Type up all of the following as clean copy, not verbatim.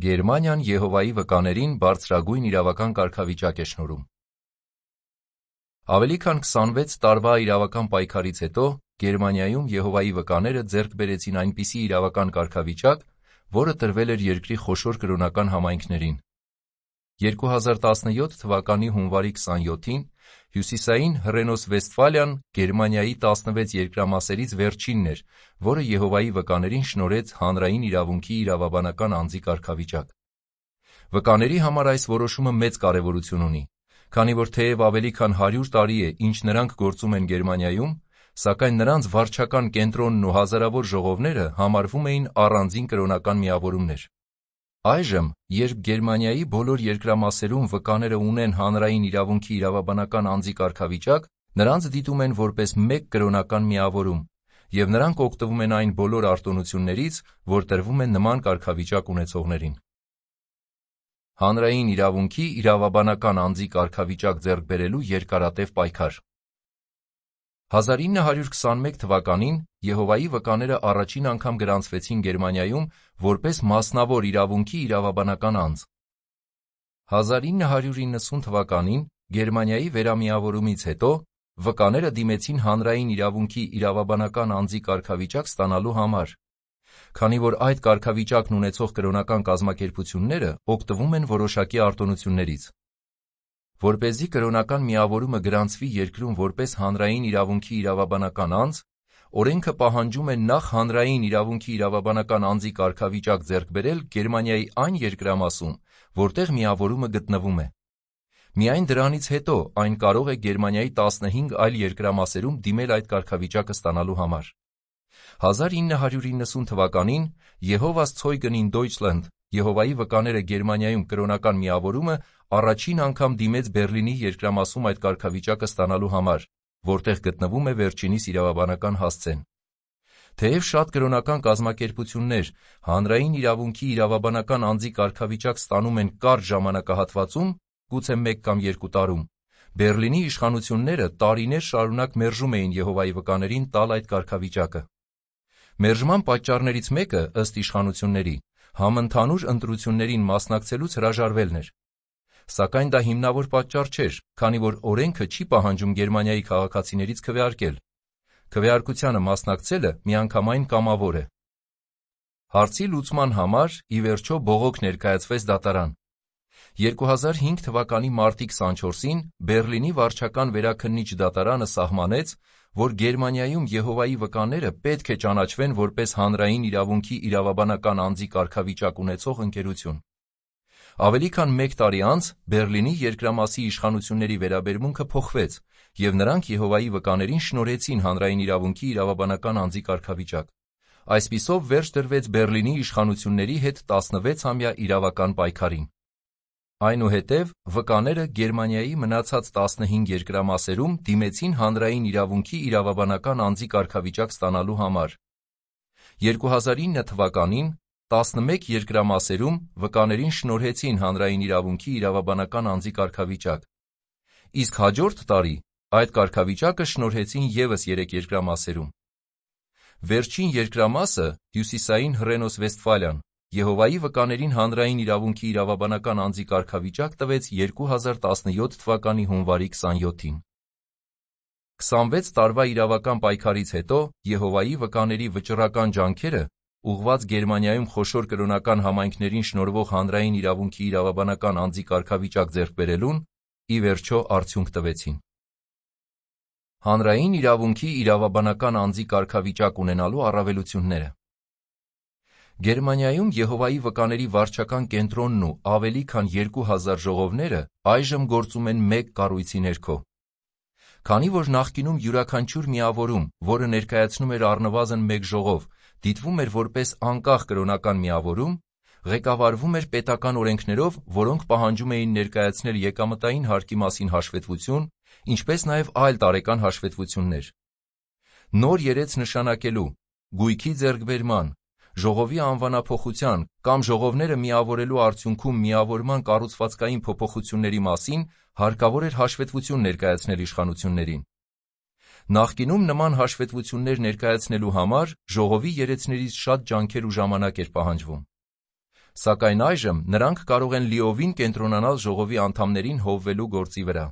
Գերմանիան Եհովայի վկաներին բարձրագույն իրավական կարգավիճակ է շնորհում։ Ավելի քան 26 տարվա իրավական պայքարից հետո Գերմանիայում Եհովայի վկաները ձեռք բերեցին այնպիսի իրավական կարգավիճակ, որը տրվել էր երկրի խոշոր կրոնական համայնքներին։ 2017 թվականի հունվարի 27-ին հյուսիսային Հռենոս-Վեստֆալիան Գերմանիայի 16 երկրամասերից վերջինն էր, որը Եհովայի վկաներին շնորհեց հանրային իրավունքի իրավաբանական անձի կարգավիճակ։ Վկաների համար այս որոշումը մեծ կարևորություն ունի, քանի որ թեև ավելի քան 100 տարի է, ինչ նրանք գործում են Գերմանիայում, սակայն նրանց վարչական կենտրոնն ու հազարավոր ժողովները համարվում էին առանձին կրոնական միավորումներ։ Այժմ, երբ Գերմանիայի բոլոր երկրամասերում վկաները ունեն հանրային իրավունքի իրավաբանական անձի կարգավիճակ, նրանց դիտում են որպես մեկ կրոնական միավորում, և նրանք օգտվում են այն բոլոր արտոնություններից, որ տրվում են նման կարգավիճակ ունեցողներին։ Հանրային իրավունքի իրավաբանական անձի կարգավիճակ ձեռք բերելու երկարատև պայքար։ 1921 թվականին Եհովայի վկաները առաջին անգամ գրանցվեցին Գերմանիայում որպես մասնավոր իրավունքի իրավաբանական անձ։ 1990 թվականին Գերմանիայի վերամիավորումից հետո վկաները դիմեցին հանրային իրավունքի իրավաբանական անձի կարգավիճակ ստանալու համար, քանի որ այդ կարգավիճակն ունեցող կրոնական կազմակերպությունները օգտվում են որոշակի արտոնություններից։ Որպեսզի կրոնական միավորումը գրանցվի երկրում որպես հանրային իրավունքի իրավաբանական անձ, օրենքը պահանջում է նախ հանրային իրավունքի իրավաբանական անձի կարգավիճակ ձեռք բերել Գերմանիայի այն երկրամասում, որտեղ միավորումը գտնվում է։ Միայն դրանից հետո այն կարող է Գերմանիայի 15 այլ երկրամասերում դիմել այդ կարգավիճակը ստանալու համար։ 1990 թվականին Jehovah's Zeugen in Deutschland Եհովայի վկաները Գերմանիայում կրոնական միավորումը առաջին անգամ դիմեց Բեռլինի երկրամասում այդ կարգավիճակը ստանալու համար, որտեղ գտնվում է վերջինիս իրավաբանական հասցեն։ Թեև շատ կրոնական կազմակերպություններ հանրային իրավունքի իրավաբանական անձի կարգավիճակ ստանում են կարճ ժամանակահատվածում, գուցե 1 կամ 2 տարում, Բեռլինի իշխանությունները տարիներ շարունակ մերժում էին Եհովայի վկաներին տալ այդ կարգավիճակը։ Մերժման պատճառներից մեկը, ըստ իշխանությունների, համընդհանուր ընտրություններին մասնակցելուց հրաժարվելն էր։ Սակայն դա հիմնավոր պատճառ չէր, քանի որ օրենքը չի պահանջում Գերմանիայի քաղաքացիներից քվեարկել։ Քվեարկությանը մասնակցելը միանգամայն կամավոր է։ Հարցի լուծման համար, ի վերջո, բողոք ներկայացվեց դատարան։ 2005 թվականի մարտի 24-ին Բեռլինի վարչական վերաքննիչ դատարանը սահմանեց, որ Գերմանիայում Եհովայի վկաները պետք է ճանաչվեն որպես հանրային իրավունքի իրավաբանական անձի կարգավիճակ ունեցող ընկերություն։ Ավելի քան 1 տարի անց Բեռլինի երկրամասի իշխանությունների վերաբերմունքը փոխվեց, և նրանք Եհովայի վկաներին շնորհեցին հանրային իրավունքի իրավաբանական անձի կարգավիճակ։ Այսպիսով վերջ դրվեց Բեռլինի իշխանությունների հետ 16-ամյա իրավական պայքարին։ Այնուհետև վկաները Գերմանիայի մնացած 15 երկրամասերում դիմեցին հանրային իրավունքի իրավաբանական անձի կարգավիճակ ստանալու համար։ 2009 թվականին 11 երկրամասերում վկաներին շնորհեցին հանրային իրավունքի իրավաբանական անձի կարգավիճակ, իսկ հաջորդ տարի այդ կարգավիճակը շնորհեցին ևս 3 երկրամասերում։ Վերջին երկրամասը, հյուսիսային Հռենոս-Վեստֆալիան, Եհովայի վկաներին հանրային իրավունքի իրավաբանական անձի կարգավիճակ տվեց 2017 թվականի հունվարի 27-ին։ 26 տարվա իրավական պայքարից հետո Եհովայի վկաների վճռական ջանքերը, ուղղված Գերմանիայում խոշոր կրոնական համայնքներին շնորհվող հանրային իրավունքի իրավաբանական անձի կարգավիճակ ձեռք բերելուն, ի վերջո արդյունք տվեցին։ Հանրային իրավունքի իրավաբանական անձի կարգավիճակ ունենալու առավելությունները։ Գերմանիայում Եհովայի վկաների վարչական կենտրոնն ու ավելի քան 2000 ժողովները այժմ գործում են մեկ կառույցի ներքո։ Քանի որ նախկինում յուրաքանչյուր միավորում, որը ներկայացնում էր առնվազն մեկ ժողով, դիտվում էր որպես անկախ կրոնական միավորում, ղեկավարվում էր պետական օրենքներով, որոնք պահանջում էին ներկայացնել եկամտային հարկի մասին հաշվետվություն, ինչպես նաև այլ տարեկան հաշվետվություններ։ Նոր երեց նշանակելու, գույքի ձեռքբերման, ժողովի անվանափոխության կամ ժողովները միավորելու արդյունքում միավորման կառուցվածքային փոփոխությունների մասին հարկավոր էր հաշվետվություն ներկայացնել իշխանություններին։ Նախկինում նման հաշվետվություններ ներկայացնելու համար ժողովի երեցներից շատ ջանքեր ու ժամանակ էր պահանջվում։ Սակայն այժմ նրանք կարող են լիովին կենտրոնանալ ժողովի անդամներին հովվելու գործի վրա։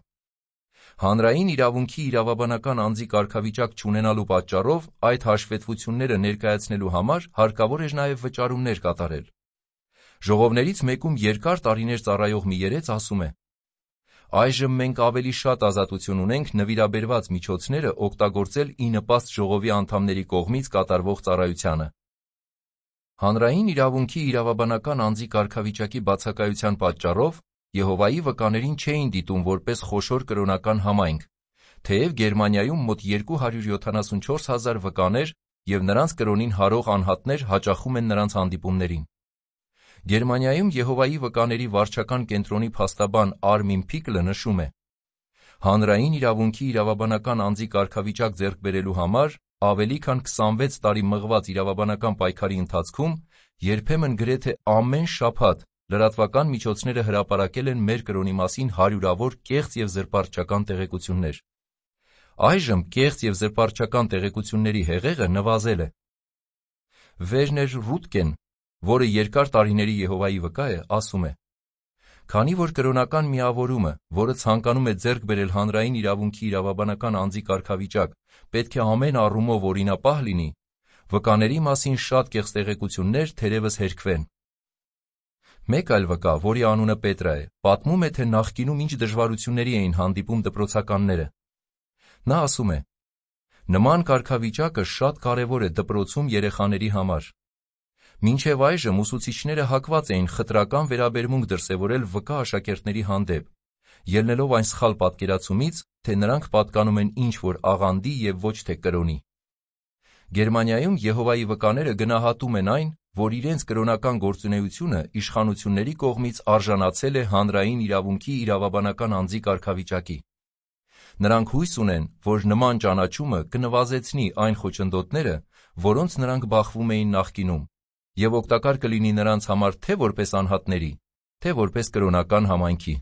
Հանրային իրավունքի իրավաբանական անձի կարգավիճակ չունենալու պատճառով այդ հաշվետվությունները ներկայացնելու համար հարկավոր էր նաև վճարումներ կատարել։ Ժողովներից մեկում երկար տարիներ ծառայող մի երեց ասում է. «Այժմ մենք ավելի շատ ազատություն ունենք նվիրաբերված միջոցները օգտագործել ի նպաստ ժողովի անդամների կողմից կատարվող ծառայությանը»։ Հանրային իրավունքի իրավաբանական անձի կարգավիճակի բացակայության պատճառով Եհովայի վկաներին չէին դիտում որպես խոշոր կրոնական համայնք, թեև Գերմանիայում մոտ 274,000 վկաներ և նրանց կրոնին հարող անհատներ հաճախում են նրանց հանդիպումներին։ Գերմանիայում Եհովայի վկաների վարչական կենտրոնի փաստաբան Արմին Փիկլը նշում է. «Հանրային իրավունքի իրավաբանական անձի կարգավիճակ ձեռք բերելու համար ավելի քան 26 տարի մղված իրավաբանական պայքարի ընթացքում երբեմն գրեթե ամեն շաբաթ լրատվական միջոցները հրապարակել են մեր կրոնի մասին հարյուրավոր կեղծ և զրպարտչական տեղեկություններ։ Այժմ կեղծ և զրպարտչական տեղեկությունների հեղեղը նվազել է»։ Վերներ Ռուտկեն, որը երկար տարիների Եհովայի վկա է, ասում է. «Քանի որ կրոնական միավորումը, որը ցանկանում է ձեռք բերել հանրային իրավունքի իրավաբանական անձի կարգավիճակ, պետք է ամեն առումով օրինապահ լինի, վկաների մասին շատ կեղծ տեղեկություններ թերևս հերքվեն»։ Մեկ այլ վկա, որի անունը Պետրա է, պատմում է, թե նախկինում ինչ դժվարությունների էին հանդիպում դպրոցականները։ Նա ասում է. «Նման կարգավիճակը շատ կարևոր է դպրոցում երեխաների համար։ Մինչև այժմ ուսուցիչները հակված էին խտրական վերաբերմունք դրսևորել վկա աշակերտների հանդեպ, ելնելով այն սխալ պատկերացումից, թե նրանք պատկանում են ինչ-որ աղանդի և ոչ թե կրոնի։ Գերմանիայում Եհովայի վկաները գնահատում են այն, որ իրենց կրոնական գործունեությունը իշխանությունների կողմից արժանացել է հանրային իրավունքի իրավաբանական անձի կարգավիճակի։ Նրանք հույս ունեն, որ նման ճանաչումը կնվազեցնի այն խոչընդոտները, որոնց նրանք բախվում էին նախկինում, և օգտակար կլինի նրանց համար թե որպես անհատների, թե որպես կրոնական համայնքի։